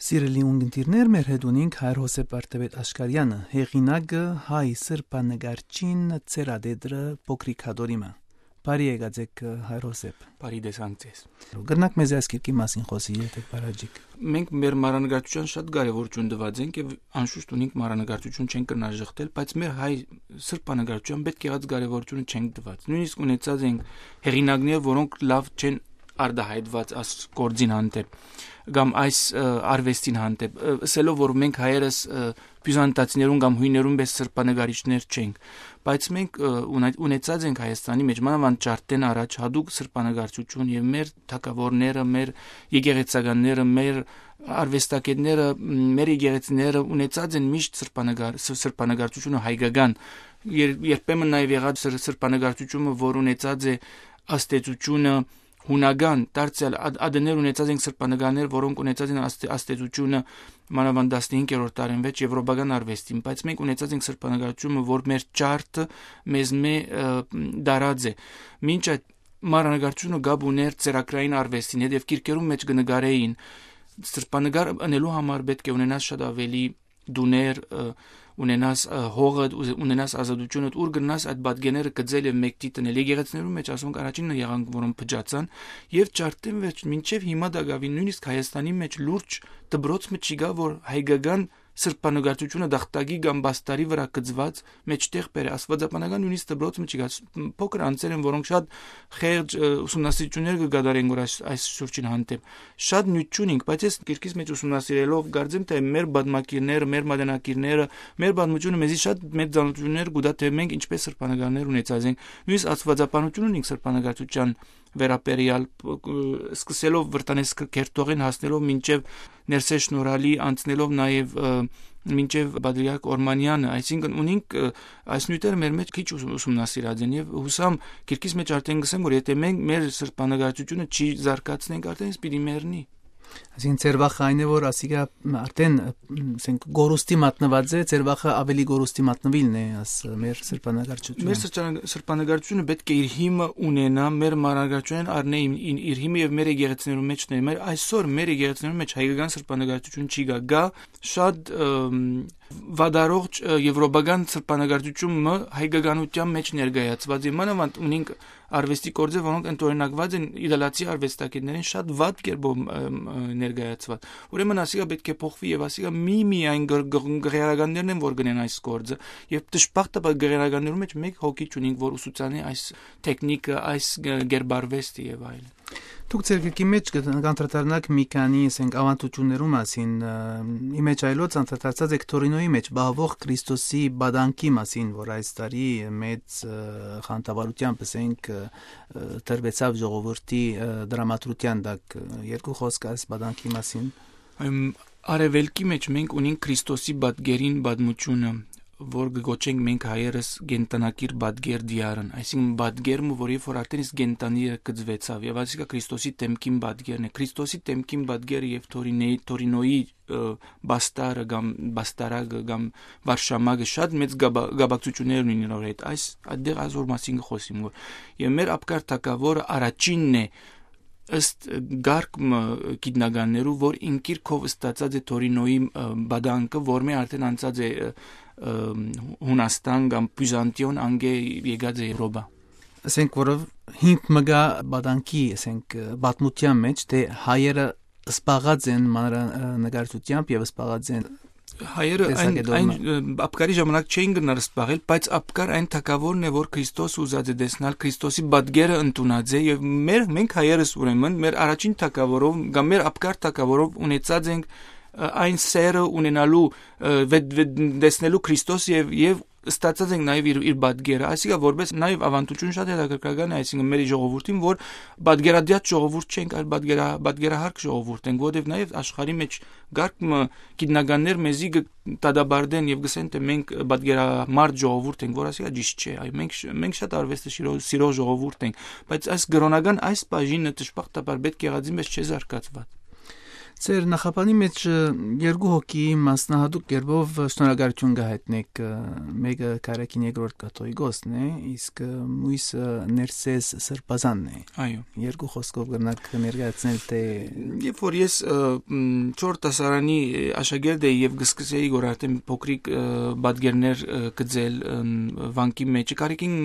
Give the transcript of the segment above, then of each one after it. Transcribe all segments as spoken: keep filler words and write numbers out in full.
Սիրելի ունգընտիրներ, մեր հետ ունենք Հայր Հոսեփ Արտեբեդ Աշկարյանը, հեղինակը հայ սրբանկարչին ծերադեդրը փոքրիկ հադորիմը։ Բարի եկածեք Հայր Հոսեփ։ Բարի դեսանքես։ Գրնակ մեզ այս կիրքի մասին խոսի եթե բարաջիկ։ Մենք մեր մանրանկարչության շատ կարևորություն տված ենք եւ անշուշտ ունենք մանրանկարչություն չենք կնաժխտել, բայց մեր հայ սրբանկարչության պետք եղած կարևորությունը չենք տված։ Նույնիսկ ունեցած ենք հեղինակներ, որոնք լավ չեն արդահայտված այս գործին հանդեպ կամ այս արվեստին հանդեպ, ասելով որ մենք հայերս բյուզանդացիներուն կամ հույներուն պես սրբանկարիչներ չենք, բայց մենք ունեցած ենք Հայաստանի մեջ մանավանդ ճարտեն առաջ հadoop սրբանկարչություն եւ մեր թագավորները, մեր եկեղեցականները, մեր արվեստագետները, մեր եկեղեցիները ունեցած են միշտ սրբանկար սրբանկարչությունը հայկական, երբեմն նաեւ եղած սրբանկարչությունը, որ ունեցած է աստեցությունը հունական, դարձյալ ադներ ունեցած են սրբանկարներ, որոնք ունեցած են աստեցությունը մանավանդ տասնհինգերորդ դարին վեց եվրոպական արվեստին, բայց մենք ունեցած ենք սրբանկարչությունը, որ մեր ճարտը մեզ մե դարած է։ Մինչ այդ մանրանկարչությունը գաբ ուներ ծերակրային արվեստին հետ եւ գիրքերում մեջ կնկարեին սրբանկար անելու համար պետք է ունենաս շատ ավելի դուներ, ունենաս հողը, ունենաս ազատությունը, ուր գնաս այդ բադգեները գծել եւ մեկտի տնել։ Եկեղեցիներում մեջ ասոնք առաջինը եղանք, որոնք փճացան եւ ճարտեն մեջ մինչեւ հիմա դակավին նույնիսկ Հայաստանի մեջ լուրջ դբրոց մեջ չկա, որ հայկական սրբանկարչությունը դախտագի կամ բաստարի վրա գծված մեջտեղ բեր աստվածաբանական նույնիսկ դբրոց մեջ չկա փոքր անձեր են, որոնք շատ խեղճ ուսումնասիրություններ կգադարեն որ այս այս շուրջին հանդեպ շատ նյութ չունենք, բայց այս կիրքից մեջ ուսումնասիրելով կարծեմ թե մեր բադմակիրները, մեր մատենակիրները, մեր բադմությունը մեզի շատ մեծ ծանոթություններ կուտա թե մենք ինչպես սրբանկարներ ունեցած ենք, նույնիսկ աստվածաբանություն ունենք սրբանկարչության վերապերյալ սկսելով վրտանես կերտողին հասնելով մինչև ներսե շնորհալի անցնելով նաև մինչև Բադրիարք Օրմանյանը, այսինքն ունենք այս նյութերը մեր մեջ քիչ ուսումնասիրած են եւ հուսամ քիրքից մեջ արդեն գսեմ որ եթե մենք մեր սրբանկարչությունը չի զարգացնենք արդեն պիտի մեռնի։ Այսինքն ծերվախը այն է որ ասիկա արդեն ասենք գորուստի մատնված է, ծերվախը ավելի գորուստի մատնվիլն է աս մեր սրբանկարչությունը։ Մեր սրբանկարչությունը պետք է իր հիմը ունենա, մեր մանրանկարչության առնե իր հիմը եւ մեր եկեղեցիներում մեջն է։ Մեր այսօր մեր եկեղեցիներում մեջ հայկական սրբանկարչություն չի գա, գա շատ վադարողջ եվրոպական սրբանկարչությունը հայկականության մեջ ներկայացված է։ Մանավանդ ունենք արվեստի գործեր, որոնք ընդօրինակված են իտալացի արվեստագետներին շատ վատ կերպով ներկայացված։ Ուրեմն ասիկա պետք է փոխվի եւ ասիկա մի միայն գեղարականներն են որ գնեն այս գործը եւ դժբախտաբար գեղարականներում մեջ մեկ հոգի չունենք որ ուսուցանի այս տեխնիկը, այս գերբարվեստը եւ այլն։ Դուք ձեր գրքի մեջ կանդրադառնաք մի քանի ասենք ավանդություններու մասին, իմեջ այլոց անդրադարձած եք Թորինոյի մեջ բահվող Քրիստոսի բադանքի մասին, որ այս տարի մեծ խանդավառությամբ ասենք դրվեցավ ժողովրդի դրամատրության դակ երկու խոսք այս բադանքի մասին։ Արևելքի մեջ մենք ունենք Քրիստոսի բադգերին բադմությունը որ գոչենք մենք հայերս գենտանակիր բադգեր դիարն, այսինքն բադգերը, որ երբ որ արդեն իսկ գենտանի կծվեցավ, եւ այսինքն Քրիստոսի տեմքին բադգերն է, Քրիստոսի տեմքին բադգերը եւ Թորինոյի Թորինոյի բաստարը կամ բաստարագը կամ վարշամագը շատ մեծ գաբակցություններ ունին նոր հետ, այս այդտեղ ազոր մասին խոսիմ որ եւ մեր ապկար թակավորը առաջինն է ըստ գարկմ գիտնականներու որ ինքիրքով ստացած է Թորինոյի բադանքը, որ մե արդեն անցած է Հունաստան կամ Բյուզանդիոն անգե եկած է Եվրոպա։ Ասենք որով հիմք մգա բադանքի, ասենք բաթմության մեջ թե հայերը սպաղած են մանրանկարչությամբ եւ սպաղած են հայերը այն այն ապկարի ժամանակ չէին գնար սպաղել, բայց ապկար այն թակավորն է, որ Քրիստոս ուզած է դեսնալ, Քրիստոսի բադգերը ընդունած է եւ մեր մենք հայերս ուրեմն մեր առաջին թակավորով կամ մեր ապկար թակավորով ունեցած ենք այն սերը ունենալու դեսնելու Քրիստոս եւ եւ ստացած ենք նաեւ իր իր բադգերը, այսինքն որպես նաեւ ավանդություն շատ հետաքրքրական է, այսինքն մեր ժողովրդին որ բադգերադիատ ժողովուրդ չենք, այլ բադգերա բադգերահարկ ժողովուրդ ենք, որովհետեւ նաեւ աշխարհի մեջ գարկը գիտնականներ մեզի տադաբարդեն եւ գսեն թե մենք բադգերամարդ ժողովուրդ ենք, որ ասիկա ճիշտ չէ, այ մենք մենք շատ արվեստը սիրող ժողովուրդ ենք, բայց այս գրոնական այս բաժինը դժբախտաբար պետք եղածի մեջ չէ զարգացված։ Ձեր նախապանի մեջ երկու հոգի մասնահատուկ կերպով շնորհակալություն գահետնեք, մեկը Կարակին երկրորդ կաթողիկոսն է, իսկ մյուսը Ներսես Սրբազանն է։ Այո։ Երկու խոսքով կրնակ ներկայացնել, թե երբ որ ես չորրորդ դասարանի աշակերտ էի եւ գսկսեի որ արդեն փոքրիկ բադգերներ գծել վանքի մեջ, Կարակին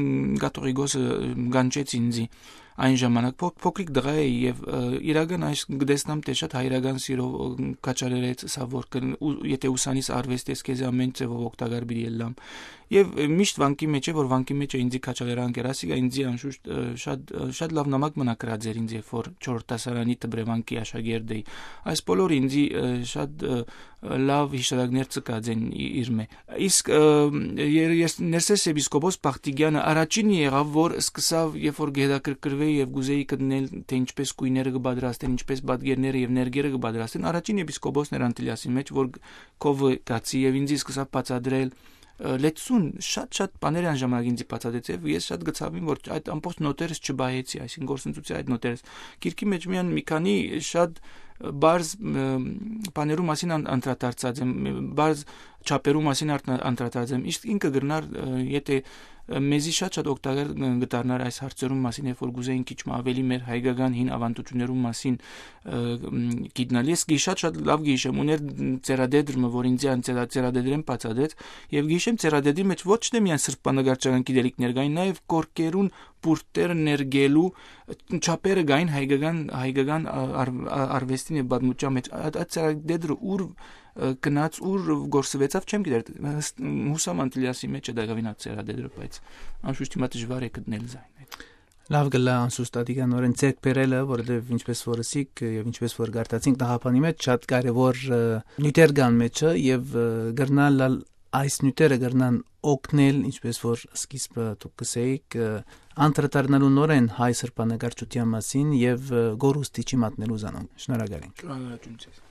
կաթողիկոսը գանչեց ինձ այն ժամանակ փոքրիկ դղա էի եւ իրական այս գտեսնամ թե շատ հայրական սիրով կաչալերեց սա որ եթե ուսանիս արվեստես քեզ ամեն ձևով օգտակար բերի ելամ եւ միշտ վանքի մեջ է որ վանքի մեջ է ինձ կաչալերան կերասիկա ինձ անշուշտ շատ շատ լավ նամակ մնակրած էր ինձ երբ որ չորրորդ դասարանի տբրևանքի աշակերտ էի այս բոլորը ինձ շատ լավ հիշատակներ ցկած են իր մե իսկ ես Ներսես եպիսկոպոս Պախտիգյանը առաջին եղավ որ սկսավ երբ որ գեհդակրկրվեի եւ գուզեի գտնել թե ինչպես կույները կբادرաստեն ինչպես բادگերները եւ ներգերը կբادرաստեն առաջին եպիսկոպոսն էր Անտիլիասի մեջ որ կովը գացի եւ ինձ սկսավ բացադրել լեցուն շատ-շատ բաներ այն ժամանակ ինձ բացադրեց եւ ես շատ գծավին որ այդ ամբողջ նոտերս չբայեցի այսինքն գործընծուցի այդ նոտերս գիրքի մեջ միան մի քանի շատ բարձ բաներու մասին անդրադարձած եմ բարձ չափերու մասին անդրադարձած եմ իսկ ինքը գրնար եթե մեզի շատ-շատ օգտակար գտարներ այս հարցերում մասին երբ որ գուզեին քիչ ավելի մեր հայկական հին ավանդություններու մասին գիտնալ ես շատ-շատ լավ գիշեմ ուներ ծերադեդրը որ ինձ ան ծերադեդրեն բացադրեց եւ գիշեմ ծերադեդի մեջ ոչ թե միայն սրբանկարչական գիտելիքներ կային նաեւ կորկերուն բուրտեր ներգելու չափերը գային հայկական հայկական արվեստին եւ բադմուճա մեջ այդ ծերադեդրը ուր գնաց ուր գործվեցավ չեմ գիտեր հուսամ Անտիլիասի մեջ է դակավինած ծերադեդրը բայց անշուշտ հիմա դժվար է գտնել զայն լավ գլա անսուստատիկանորեն ցերկ բերելը որովհետեւ ինչպես որ ասիկ եւ ինչպես որ գարտացինք նախապանի մեջ շատ կարեւոր նյութեր կան մեջը եւ գրնալ այս նյութերը գրնան օգնել ինչպես որ սկիզբը դուք գսեիք անդրադառնալու նորեն հայ սրբանկարչության մասին եւ գորուստիչի մատնելու զանոն շնորհակալ ենք շնորհակալություն